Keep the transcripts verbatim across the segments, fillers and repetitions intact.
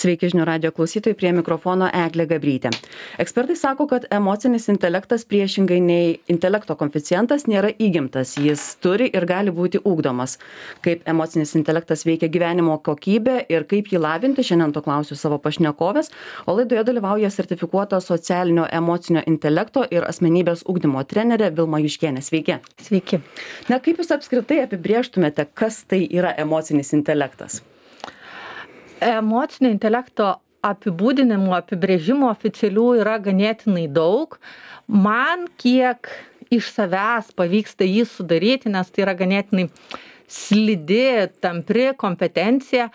Sveiki žinių radijo klausytojai, prie mikrofono Eglė Gabrytė. Ekspertai sako, kad emocinis intelektas priešingai nei intelekto koeficientas nėra įgimtas, jis turi ir gali būti ugdomas. Kaip emocinis intelektas veikia gyvenimo kokybę ir kaip jį lavinti, šiandien to klausiu savo pašnekovės, o laidoje dalyvauja sertifikuota socialinio emocinio intelekto ir asmenybės ugdymo trenerė Vilma Juškienė. Sveiki. Sveiki. Na, kaip jūs apskritai apibrėžtumėte, kas tai yra emocinis intelektas? Emocinio intelekto apibūdinimų, apibrėžimų oficialių yra ganėtinai daug. Man kiek iš savęs pavyksta jį sudaryti, nes tai yra ganėtinai slidi, tampri kompetencija.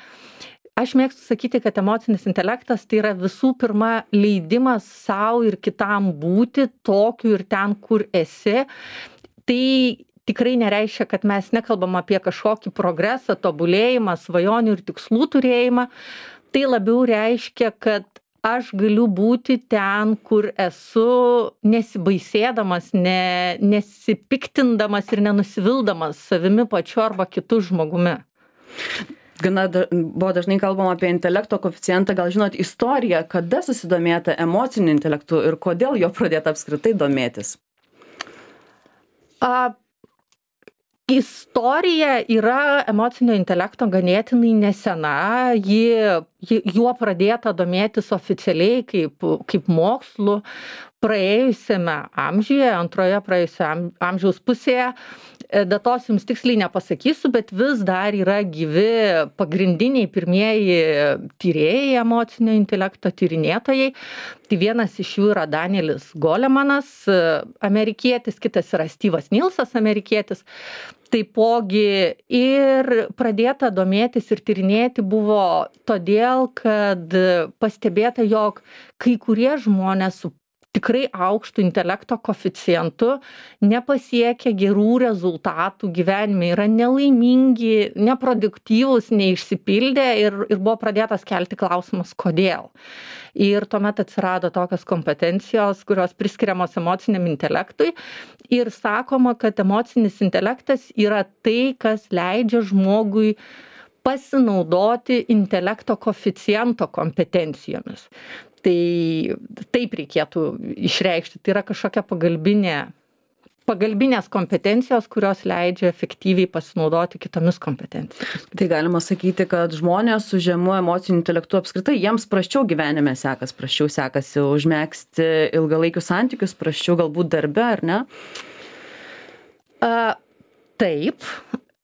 Aš mėgstu sakyti, kad emocinis intelektas tai yra visų pirma leidimas savo ir kitam būti tokiu ir ten, kur esi. Tai tikrai nereiškia, kad mes nekalbam apie kažkokį progresą, tobulėjimą, svajonių ir tikslų turėjimą. Tai labiau reiškia, kad aš galiu būti ten, kur esu, nesibaisėdamas, ne, nesipiktindamas ir nenusivildamas savimi pačiu arba kitu žmogumi. Gana da, buvo dažnai kalbama apie intelekto koeficientą, gal žinot istoriją, kada susidomėta emociniu intelektu ir kodėl jo pradėta apskritai domėtis? A, Istorija yra emocinio intelekto ganėtinai nesena, ji, ji, juo pradėta domėtis oficialiai kaip, kaip mokslu praėjusiame amžiuje, antroje praėjusio amžiaus pusėje. Datos jums tiksliai nepasakysiu, bet vis dar yra gyvi pagrindiniai pirmieji tyrėjai emocinio intelekto tyrinėtojai. Tai vienas iš jų yra Danielis Golemanas, amerikietis, kitas yra Steve'as Nilsas, amerikietis. Taipogi ir pradėta domėtis ir tyrinėti buvo todėl, kad pastebėta, jog kai kurie žmonės su tikrai aukštų intelekto koeficientu nepasiekia gerų rezultatų gyvenime, yra nelaimingi, neproduktyvūs, neišsipildę ir, ir buvo pradėtas kelti klausimas, kodėl. Ir tuomet atsirado tokios kompetencijos, kurios priskiriamos emociniam intelektui ir sakoma, kad emocinis intelektas yra tai, kas leidžia žmogui pasinaudoti intelekto koeficiento kompetencijomis. Tai taip reikėtų išreikšti. Tai yra kažkokia pagalbinė, pagalbinės kompetencijos, kurios leidžia efektyviai pasinaudoti kitomis kompetencijomis. Tai galima sakyti, kad žmonės su žemu emociniu intelektu apskritai jiems prasčiau gyvenime sekas, prasčiau sekasi užmegzti ilgalaikius santykius, prasčiau galbūt darbe, ar ne? A, taip.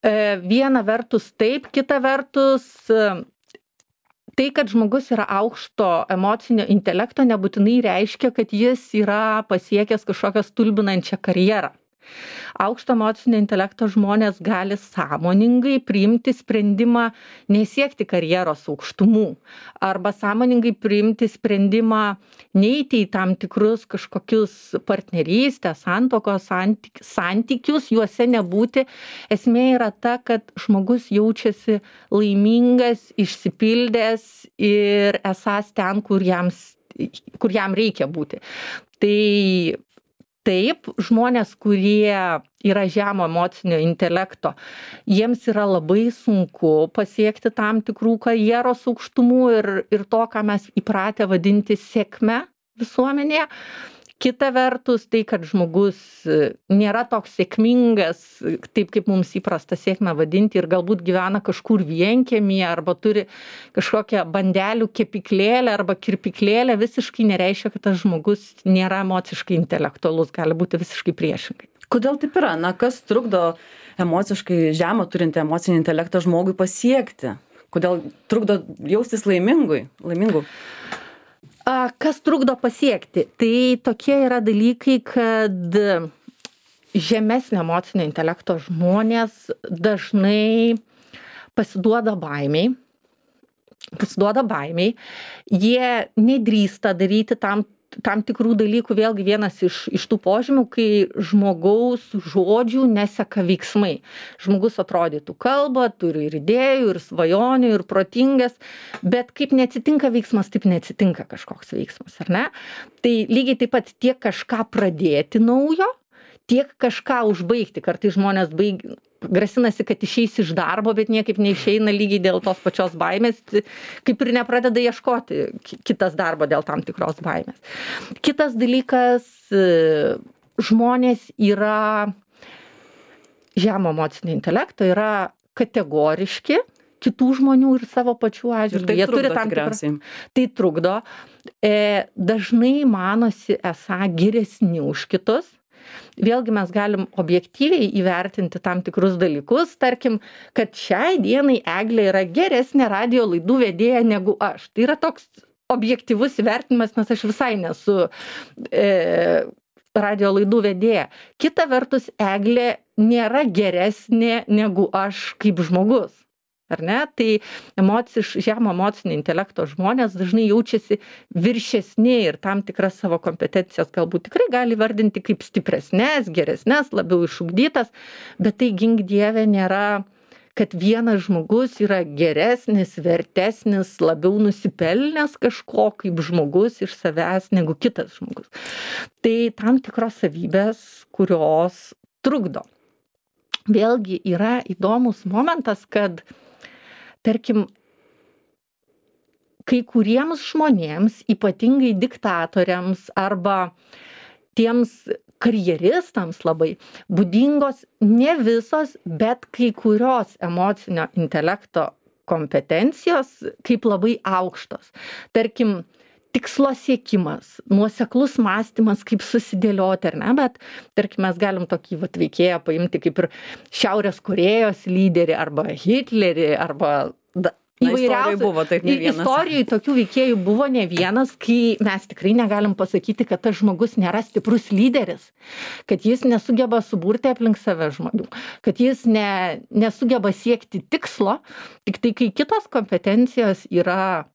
E, viena vertus taip, kita vertus tai, kad žmogus yra aukšto emocinio intelekto, nebūtinai reiškia, kad jis yra pasiekęs kažkokią stulbinančią karjerą. Aukšto emocinio intelekto žmonės gali sąmoningai priimti sprendimą nesiekti karjeros aukštumų arba sąmoningai priimti sprendimą neiti į tam tikrus kažkokius partnerystės, santuokos santyk, santykius, juose nebūti. Esmė yra ta, kad žmogus jaučiasi laimingas, išsipildęs ir esąs ten, kur, jams, kur jam reikia būti. Tai taip, žmonės, kurie yra žemo emocinio intelekto, jiems yra labai sunku pasiekti tam tikrų karjeros aukštumų ir, ir to, ką mes įpratę vadinti sėkme visuomenėje. Kita vertus, tai, kad žmogus nėra toks sėkmingas, taip kaip mums įprasta sėkmę vadinti, ir galbūt gyvena kažkur vienkiemyje arba turi kažkokią bandelių kepyklėlę arba kirpyklėlę, visiškai nereiškia, kad tas žmogus nėra emociškai intelektualus, gali būti visiškai priešingai. Kodėl taip yra? Na, kas trukdo emociškai žemą turintį emocinį intelektą žmogui pasiekti? Kodėl trukdo jaustis laimingui, laimingu? Kas trukdo pasiekti? Tai tokie yra dalykai, kad žemesnio emocinio intelekto žmonės dažnai pasiduoda baimiai, pasiduoda baimiai, jie nedrįsta daryti tam tam tikrų dalykų, vėlgi vienas iš, iš tų požymių, kai žmogaus žodžių neseka veiksmai. Žmogus atrodytų kalba, turi ir idėjų, ir svajonių, ir protingas, bet kaip neatsitinka veiksmas, taip neatsitinka kažkoks veiksmas, ar ne? Tai lygiai taip pat tiek kažką pradėti naujo, tiek kažką užbaigti. Kartais žmonės baig, grasinasi, kad išeis iš darbo, bet niekaip neišeina lygiai dėl tos pačios baimės, kaip ir nepradeda ieškoti kitas darbo dėl tam tikros baimės. Kitas dalykas, žmonės yra žemo emocinio intelekto, yra kategoriški kitų žmonių ir savo pačių atžvilgiu. Tai Jie trukdo turi tam tikriausiai. tikrą. Tai trukdo. E, dažnai manosi esą geresni už kitus. Vėlgi mes galim objektyviai įvertinti tam tikrus dalykus. Tarkim, kad šiai dienai Eglė yra geresnė radijo laidų vedėja negu aš. Tai yra toks objektyvus įvertinimas, nes aš visai nesu e, radijo laidų vedėja. Kita vertus, Eglė nėra geresnė negu aš kaip žmogus. Ar ne? Tai emociš, žemo emocinio intelekto žmonės dažnai jaučiasi viršesni ir tam tikras savo kompetencijas galbūt tikrai gali vardinti kaip stipresnės, geresnės, labiau išugdytas, bet tai gink Dieve nėra, kad vienas žmogus yra geresnis, vertesnis, labiau nusipelnęs kažko kaip žmogus iš savęs negu kitas žmogus. Tai tam tikros savybės, kurios trukdo. Vėlgi yra įdomus momentas, kad tarkim, kai kuriems žmonėms, ypatingai diktatoriams arba tiems karjeristams labai būdingos ne visos, bet kai kurios emocinio intelekto kompetencijos kaip labai aukštos. Tarkim, tikslo siekimas, nuoseklus mąstymas, kaip susidėlioti, ar ne, bet tarkim, mes galim tokį vat, veikėją paimti kaip ir Šiaurės Korėjos lyderį arba Hitlerį arba da, įvairiausių. Buvo, taip, ne vienas. Istorijai tokių veikėjų buvo ne vienas, kai mes tikrai negalim pasakyti, kad tas žmogus nėra stiprus lyderis, kad jis nesugeba suburti aplink save žmonių, kad jis ne, nesugeba siekti tikslo, tik tai kai kitos kompetencijos yra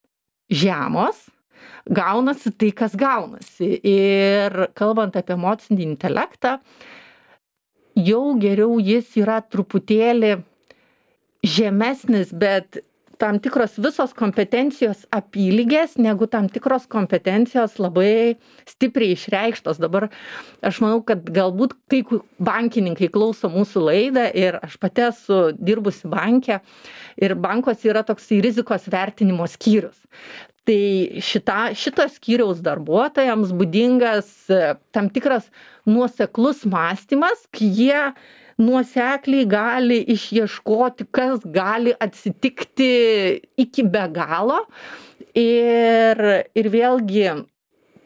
žemos, gaunasi tai, kas gaunasi. Ir kalbant apie emocinį intelektą, jau geriau jis yra truputėlį žemesnis, bet tam tikros visos kompetencijos apylygės, negu tam tikros kompetencijos labai stipriai išreikštos. Dabar aš manau, kad galbūt kai bankininkai klauso mūsų laidą ir aš pati esu dirbusi banke ir bankos yra toksai rizikos vertinimo skyrius. Tai šita, šito skyriaus darbuotojams būdingas tam tikras nuoseklus mąstymas, kai jie nuosekliai gali išieškoti, kas gali atsitikti iki be galo. Ir, ir vėlgi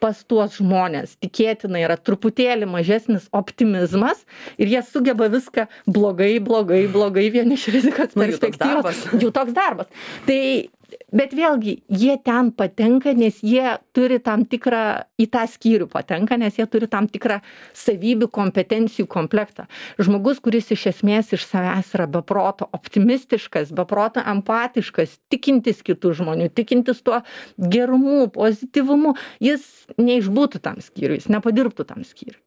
pas tuos žmonės tikėtina yra truputėlį mažesnis optimizmas ir jie sugeba viską blogai, blogai, blogai vien iš rizikos perspektyvos. Jų toks darbas. Tai bet vėlgi, jie ten patenka, nes jie turi tam tikrą, į tą skyrių patenka, nes jie turi tam tikrą savybių, kompetencijų komplektą. Žmogus, kuris iš esmės iš savęs yra beproto optimistiškas, beproto empatiškas, tikintis kitų žmonių, tikintis tuo gerumu, pozityvumu, jis neišbūtų tam skyriui, jis nepadirbtų tam skyriui.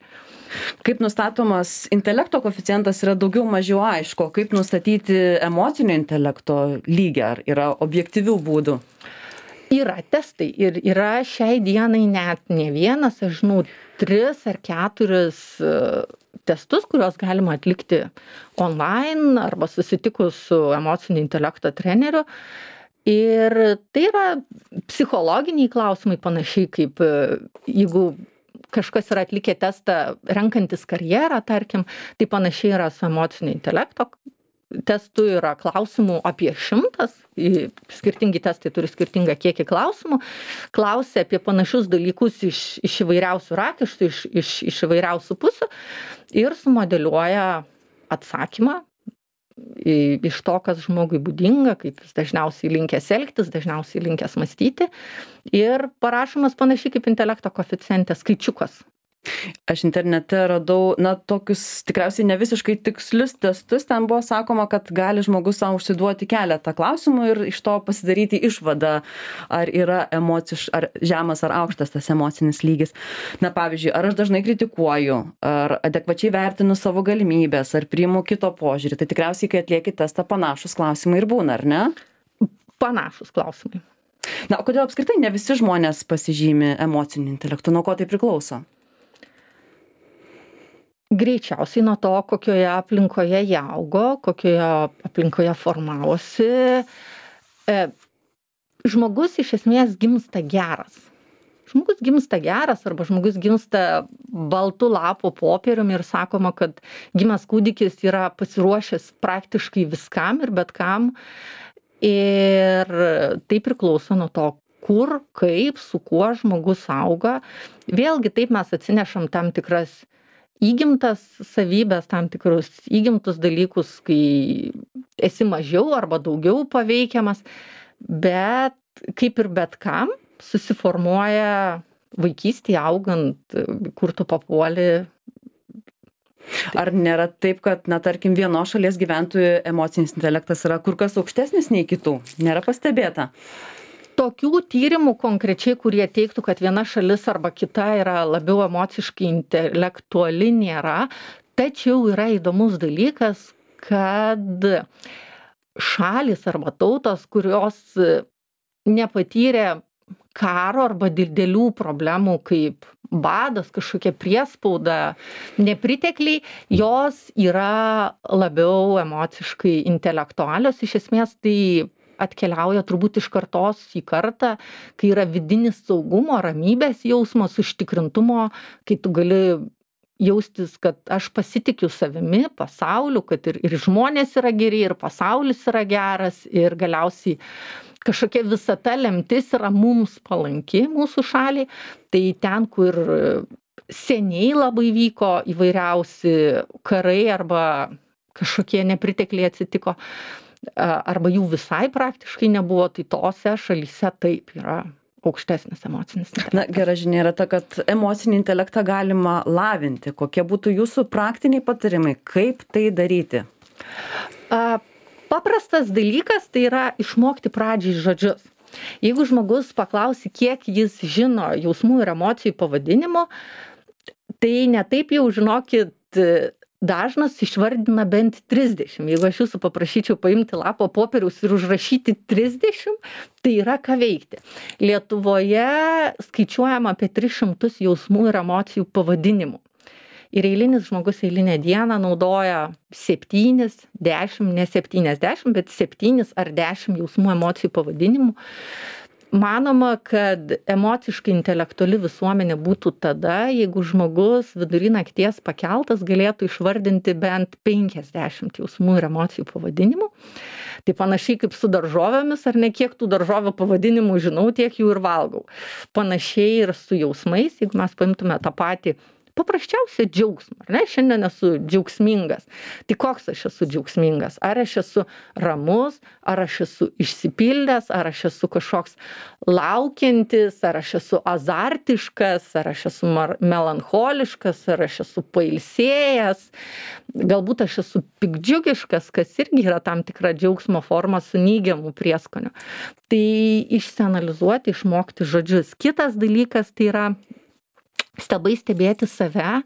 Kaip nustatomas intelekto koeficientas yra daugiau mažiau aišku, kaip nustatyti emocinio intelekto lygį, ar yra objektyvių būdų? Yra testai ir yra šiai dienai net ne vienas, aš žinau, tris ar keturis testus, kuriuos galima atlikti online arba susitikus su emocinio intelekto treneriu. Ir tai yra psichologiniai klausimai, panašiai kaip jeigu kažkas yra atlikę testą renkantis karjerą, tarkim, tai panašiai yra su emocinio intelekto testu, yra klausimų apie šimtas, skirtingi testai turi skirtingą kiekį klausimų, klausia apie panašius dalykus iš, iš įvairiausių rakištų, iš, iš, iš įvairiausių pusių ir sumodeliuoja atsakymą iš to, kas žmogui būdinga, kaip jis dažniausiai linkęs elgtis, dažniausiai linkęs mąstyti ir parašomas panašiai kaip intelekto koeficiente skaičiukas. Aš internete radau, na, tokius tikriausiai ne visiškai tikslius testus, ten buvo sakoma, kad gali žmogus savo užsiduoti keletą klausimų ir iš to pasidaryti išvadą, ar yra emociš, ar žemas ar aukštas tas emocinis lygis. Na, pavyzdžiui, ar aš dažnai kritikuoju, ar adekvačiai vertinu savo galimybės, ar priimu kito požiūrį. Tai tikriausiai, kai atlieki testą, panašus klausimai ir būna, ar ne? Panašus klausimai. Na, o kodėl apskritai ne visi žmonės pasižymi emociniu intelektu, nuo ko tai priklauso? Greičiausiai nuo to, kokioje aplinkoje jie augo, kokioje aplinkoje formavosi. E, žmogus iš esmės gimsta geras. Žmogus gimsta geras arba žmogus gimsta baltu lapo popieriumi ir sakoma, kad gimęs kūdikis yra pasiruošęs praktiškai viskam ir bet kam. Ir tai priklauso nuo to, kur, kaip, su kuo žmogus auga. Vėlgi taip mes atsinešam tam tikras įgimtas savybės, tam tikrus įgimtus dalykus, kai esi mažiau arba daugiau paveikiamas, bet kaip ir bet kam, susiformuoja vaikystėje augant, kur tu papuoli. Ar nėra taip, kad, na, tarkim, vienos šalies gyventojų emocinis intelektas yra kur kas aukštesnis nei kitų? Nėra pastebėta? Tokių tyrimų konkrečiai, kurie teiktų, kad viena šalis arba kita yra labiau emociškai intelektuali, nėra. Tačiau yra įdomus dalykas, kad šalis arba tautos, kurios nepatyrė karo arba didelių problemų kaip badas, kažkokia priespauda, nepritekliai, jos yra labiau emociškai intelektualios. Iš esmės tai atkeliauja turbūt iš kartos į kartą, kai yra vidinis saugumo, ramybės jausmas, užtikrintumo, kai tu gali jaustis, kad aš pasitikiu savimi, pasauliu, kad ir, ir žmonės yra geri, ir pasaulis yra geras, ir galiausiai kažkokia visata lemtis yra mums palanki mūsų šaliai. Tai ten, kur seniai labai vyko įvairiausi karai arba kažkokie nepritekliai atsitiko, arba jų visai praktiškai nebuvo, tai tose šalyse taip yra aukštesnis emocinis intelektas. Na, gera žinia yra ta, kad emocinį intelektą galima lavinti. Kokie būtų jūsų praktiniai patarimai, kaip tai daryti? A, paprastas dalykas tai yra išmokti pradžiai žodžius. Jeigu žmogus paklausi, kiek jis žino jausmų ir emocijų pavadinimo, tai ne taip jau, žinokit, dažnas išvardina bent trisdešimt. Jeigu aš jūsų paprašyčiau paimti lapą popieriaus ir užrašyti trisdešimt, tai yra ką veikti. Lietuvoje skaičiuojama apie tris šimtus jausmų ir emocijų pavadinimų. Ir eilinis žmogus eilinę dieną naudoja septynis, dešimt, ne septyniasdešimt, bet septynis ar dešimt jausmų emocijų pavadinimų. Manoma, kad emociškai intelektuali visuomenė būtų tada, jeigu žmogus vidury nakties pakeltas galėtų išvardinti bent penkiasdešimt jausmų ir emocijų pavadinimų. Tai panašiai kaip su daržovėmis, ar ne, kiek tų daržovių pavadinimų žinau, tiek jų ir valgau. Panašiai ir su jausmais, jeigu mes paimtume tą patį paprasčiausia džiaugsmą, ar ne? Šiandien esu džiaugsmingas. Tai koks aš esu džiaugsmingas? Ar aš esu ramus, ar aš esu išsipildęs, ar aš esu kažkoks laukiantis, ar aš esu azartiškas, ar aš esu melancholiškas, ar aš esu pailsėjęs, galbūt aš esu pikdžiugiškas, kas irgi yra tam tikra džiaugsmo forma su neigiamu prieskoniu. Tai išsianalizuoti, išmokti žodžius. Kitas dalykas tai yra stabai stebėti save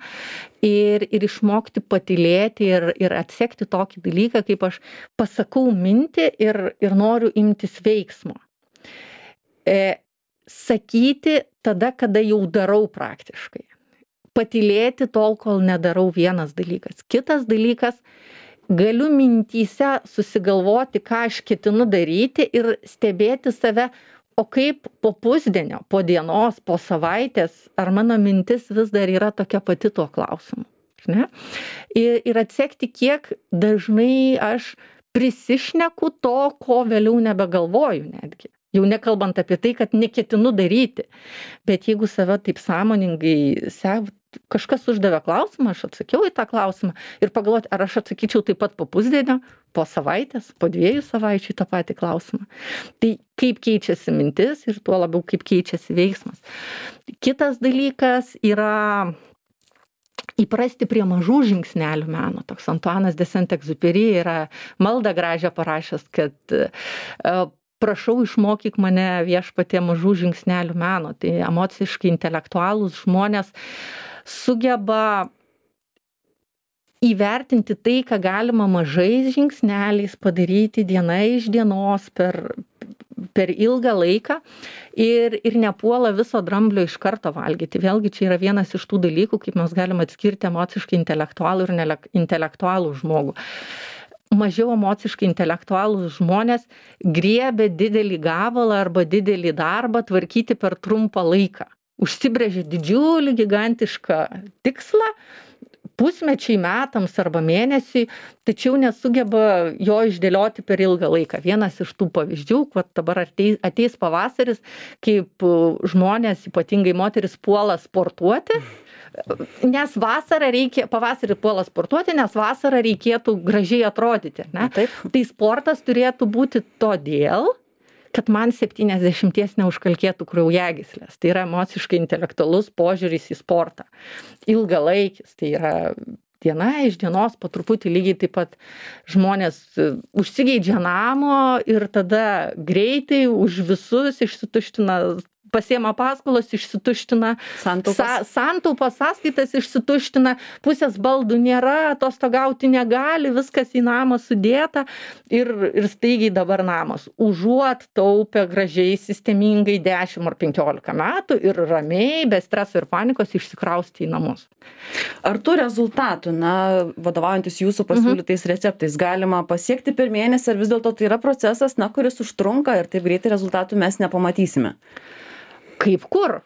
ir, ir išmokti patylėti ir, ir atsekti tokį dalyką, kaip aš pasakau mintį ir, ir noriu imtis veiksmo. E, sakyti tada, kada jau darau praktiškai. Patylėti tol, kol nedarau, vienas dalykas. Kitas dalykas, galiu mintyse susigalvoti, ką aš ketinu daryti ir stebėti save. O kaip po pusdienio, po dienos, po savaitės, ar mano mintis vis dar yra tokia pati tuo klausimu? Ne? Ir, ir atsekti, kiek dažnai aš prisišneku to, ko vėliau nebegalvoju netgi. Jau nekalbant apie tai, kad neketinu daryti. Bet jeigu save taip sąmoningai sek, kažkas uždavė klausimą, aš atsakiau į tą klausimą ir pagalvoti, ar aš atsakyčiau taip pat po pusdienio, po savaitės, po dviejų savaičių į tą patį klausimą. Tai kaip keičiasi mintis ir tuo labiau kaip keičiasi veiksmas. Kitas dalykas yra įprasti prie mažų žingsnelių meno. Toks Antuanas de Saint-Exupéry yra maldą gražią parašęs, kad uh, prašau išmokyk mane viešpatie mažų žingsnelių meno. Tai emociškai intelektualūs žmonės sugeba įvertinti tai, ką galima mažais žingsneliais padaryti diena iš dienos per, per ilgą laiką ir, ir nepuola viso dramblio iš karto valgyti. Vėlgi čia yra vienas iš tų dalykų, kaip mes galim atskirti emociškai intelektualų ir nelek- intelektualų žmogų. Mažiau emociškai intelektualūs žmonės griebia didelį gabalą arba didelį darbą tvarkyti per trumpą laiką. Užsibrėžia didžiulį, gigantišką tikslą, pusmečiai, metams arba mėnesiui, tačiau nesugeba jo išdėlioti per ilgą laiką. Vienas iš tų pavyzdžių, kad dabar ateis, ateis pavasaris, kaip žmonės, ypatingai moteris, puola sportuoti, nes vasarą reikia, pavasarį puola sportuoti, nes vasarą reikėtų gražiai atrodyti. Ne? Taip. Tai sportas turėtų būti todėl, kad man septyniasdešimties neužkalkėtų kraujagyslės. Tai yra emociškai intelektualus požiūris į sportą. Ilgalaikis, tai yra diena iš dienos, po truputį lygiai taip pat žmonės užsigeidžia namo ir tada greitai už visus išsituština, pasiema paskolas, išsituština, Santaupas. sa, santaupas, sąskaitas išsituština, pusės baldų nėra, atostogauti negali, viskas į namą sudėta ir, ir staigiai dabar namas. Užuot taupę gražiai, sistemingai dešimt ar penkiolika metų ir ramiai, be streso ir panikos išsikrausti į namus. Ar tų rezultatų, na, vadovaujantis jūsų pasiūlytais receptais, galima pasiekti per mėnesį, ar vis dėlto tai yra procesas, na, kuris užtrunka ir taip greitai rezultatų mes nepamatysime? Kaip kur?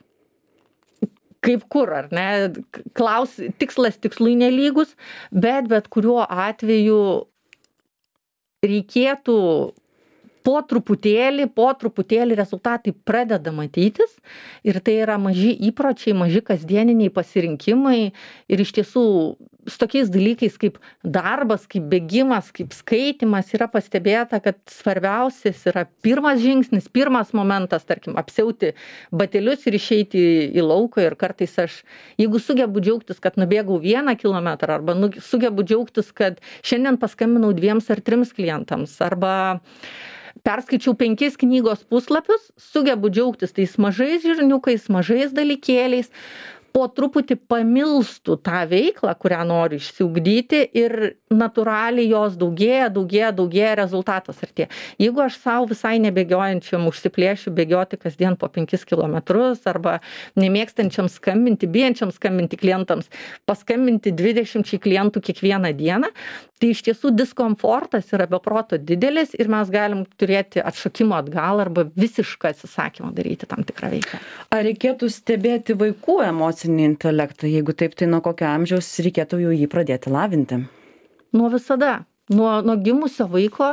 Kaip kur, ar ne? Klaus, tikslas tikslui nelygus, bet bet kuriuo atveju reikėtų po truputėlį, po truputėlį rezultatai pradeda matytis ir tai yra maži įpročiai, maži kasdieniniai pasirinkimai ir iš tiesų su tokiais dalykais kaip darbas, kaip bėgimas, kaip skaitimas yra pastebėta, kad svarbiausias yra pirmas žingsnis, pirmas momentas, tarkim, apsiauti batelius ir išeiti į lauką ir kartais aš, jeigu sugebu džiaugtis, kad nubėgau vieną kilometrą arba nu, sugebu džiaugtis, kad šiandien paskambinau dviems ar trims klientams arba perskaičiau penkis knygos puslapius, sugebu džiaugtis tais mažais žirniukais, mažais dalykėliais, po truputį pamilstų tą veiklą, kurią noriu išsiugdyti ir natūraliai jos daugėja, daugėja, daugėja, rezultatas artėja. Jeigu aš savo visai nebėgiojančiam užsiplėšiu bėgioti kasdien po penkis kilometrus arba nemėgstančiam skambinti, bijančiam skambinti klientams, paskambinti dvidešimčiai klientų kiekvieną dieną, tai iš tiesų diskomfortas yra be proto didelis ir mes galim turėti atšokimo atgal arba visišką atsisakymą daryti tam tikrą veiklą. Ar reikėtų stebėti vaikų emocinį intelektą? Jeigu taip, tai nuo kokio amžiaus reikėtų jau jį pradėti lavinti? Nuo visada. Nuo, nuo gimusio vaiko,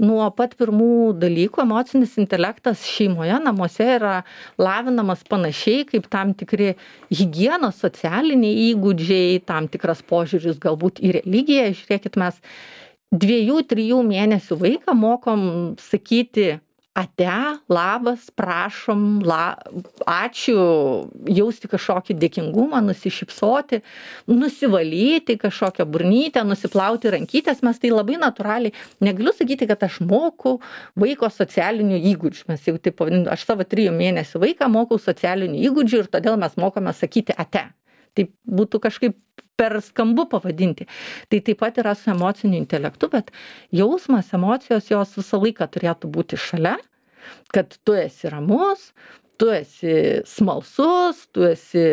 nuo pat pirmų dalykų emocinis intelektas šeimoje, namuose yra lavinamas panašiai kaip tam tikri higienos, socialiniai įgūdžiai, tam tikras požiūris galbūt į religiją. Žiūrėkit, mes dviejų, trijų mėnesių vaiką mokom sakyti ate, labas, prašom, la, ačiū, jausti kažkokį dėkingumą, nusišypsoti, nusivalyti kažkokią burnytę, nusiplauti rankytės, mes tai labai natūraliai, negaliu sakyti, kad aš moku vaiko socialinių įgūdžių, mes jau taip pavadinu, aš savo trijų mėnesių vaiką mokau socialinių įgūdžių ir todėl mes mokome sakyti ate. Tai būtų kažkaip per skambu pavadinti. Tai taip pat yra su emociniu intelektu, bet jausmas, emocijos jos visą laiką turėtų būti šalia, kad tu esi ramus, tu esi smalsus, tu esi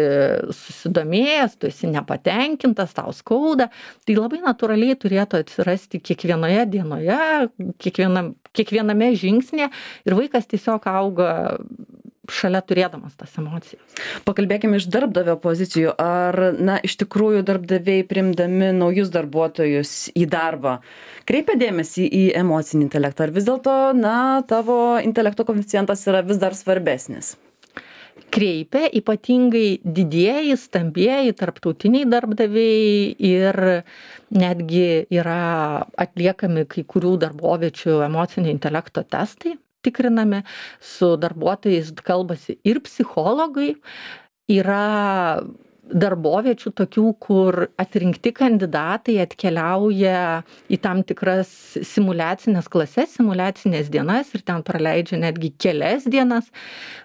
susidomėjęs, tu esi nepatenkintas, tau skauda. Tai labai natūraliai turėtų atsirasti kiekvienoje dienoje, kiekvienam, kiekviename žingsnėje ir vaikas tiesiog auga šalia turėdamas tas emocijas. Pakalbėkime iš darbdavio pozicijų. Ar, na, iš tikrųjų darbdaviai priimdami naujus darbuotojus į darbą kreipia dėmesį į emocinį intelektą? Ar vis dėlto, na, tavo intelekto koeficientas yra vis dar svarbesnis? Kreipia, ypatingai didieji, stambieji, tarptautiniai darbdaviai ir netgi yra atliekami kai kurių darboviečių emocinio intelekto testai. Tikrinami, su darbuotojais kalbasi ir psichologai, yra darboviečių tokių, kur atrinkti kandidatai atkeliauja į tam tikras simuliacinės klases, simuliacinės dienas ir ten praleidžia netgi kelias dienas,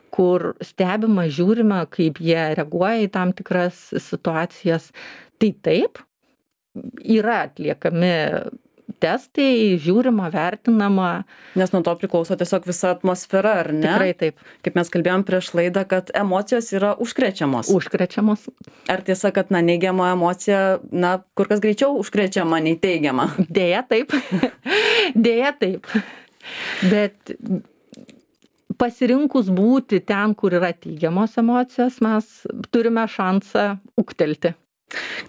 kur stebima, žiūrima, kaip jie reaguoja į tam tikras situacijas. Tai taip, yra atliekami testai, žiūrima, vertinama. Nes nuo to priklauso tiesiog visa atmosfera, ar ne? Tikrai taip. Kaip mes kalbėjom prieš laidą, kad emocijos yra užkrečiamos. Užkrečiamos. Ar tiesa, kad, na, neigiama emocija, na, kur kas greičiau užkrečiama nei teigiama? Deja taip. Deja taip. Bet pasirinkus būti ten, kur yra teigiamos emocijos, mes turime šansą ūgtelti.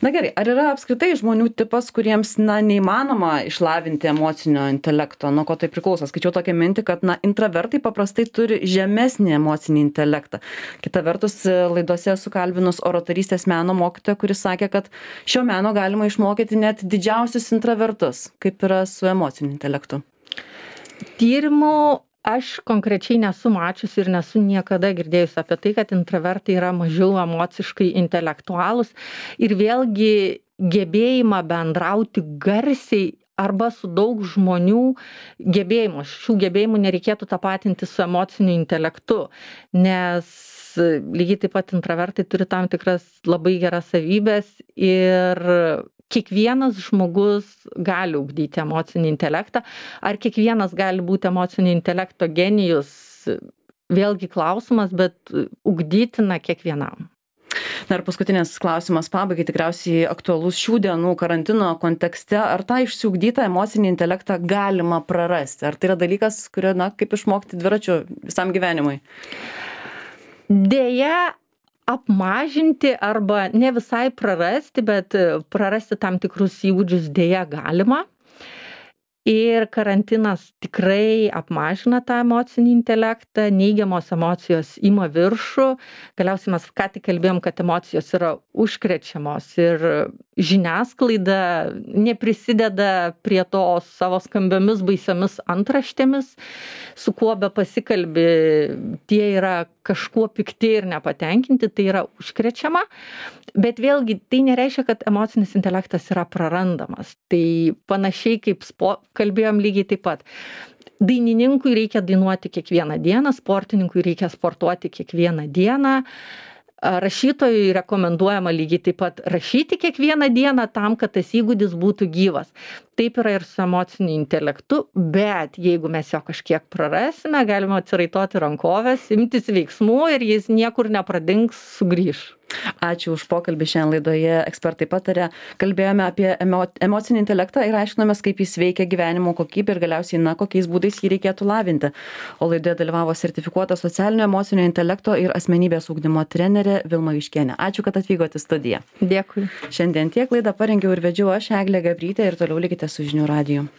Na gerai, ar yra apskritai žmonių tipas, kuriems, na, neįmanoma išlavinti emocinio intelekto? Nuo ko tai priklauso? Skaičiau tokią mintį, kad, na, intravertai paprastai turi žemesnį emocinį intelektą. Kita vertus, laidose esu kalbinus oratorystės meno mokytoją, kuris sakė, kad šio meno galima išmokyti net didžiausius intravertus. Kaip yra su emociniu intelektu? Tyrimų aš konkrečiai nesu mačiusi ir nesu niekada girdėjusi apie tai, kad intravertai yra mažiau emociškai intelektualūs ir vėlgi gebėjimą bendrauti garsiai arba su daug žmonių gebėjimų. Šių gebėjimų nereikėtų tapatinti su emociniu intelektu, nes lygiai taip pat intravertai turi tam tikras labai geras savybės ir kiekvienas žmogus gali ugdyti emocinį intelektą. Ar kiekvienas gali būti emocinio intelekto genijus? Vėlgi klausimas, bet ugdytina kiekvienam. Na ir paskutinis klausimas pabaigai, tikriausiai aktualus šių dienų karantino kontekste. Ar tą išsiugdytą emocinį intelektą galima prarasti? Ar tai yra dalykas, kurio, na, kaip išmokti dviračiu visam gyvenimui? Deja, apmažinti arba ne visai prarasti, bet prarasti tam tikrus įgūdžius deja galima. Ir karantinas tikrai apmažina tą emocinį intelektą, neigiamos emocijos ima viršų. Galiausiai mes ką tik kalbėjom, kad emocijos yra užkrečiamos ir žiniasklaida neprisideda prie to savo skambiomis baisiomis antraštėmis, su kuo be pasikalbi, tie yra kažkuo pikti ir nepatenkinti, tai yra užkrečiama. Bet vėlgi tai nereiškia, kad emocinis intelektas yra prarandamas. Tai panašiai kaip spo, kalbėjom lygiai taip pat. Dainininkui reikia dainuoti kiekvieną dieną, sportininkui reikia sportuoti kiekvieną dieną. Rašytojui rekomenduojama lygiai taip pat rašyti kiekvieną dieną tam, kad tas įgūdis būtų gyvas. Taip yra ir su emociniu intelektu, bet jeigu mes jo kažkiek prarasime, galima atsiraitoti rankovės, imtis veiksmų ir jis niekur nepradings, sugrįš. Ačiū už pokalbį. Šiandien laidoje Ekspertai pataria. Kalbėjome apie emo, emocinį intelektą ir aiškinomės, kaip jis veikia gyvenimo kokybę ir galiausiai, na, kokiais būdais jį reikėtų lavinti. O laidoje dalyvavo sertifikuota socialinio emocinio intelekto ir asmenybės ugdymo trenerė Vilma Juškienė. Ačiū, kad atvykote į studiją. Dėkui. Šiandien tiek laidą parengiau ir vedžiau aš, Eglė Gabrytė, ir toliau likite su Žinių radiju.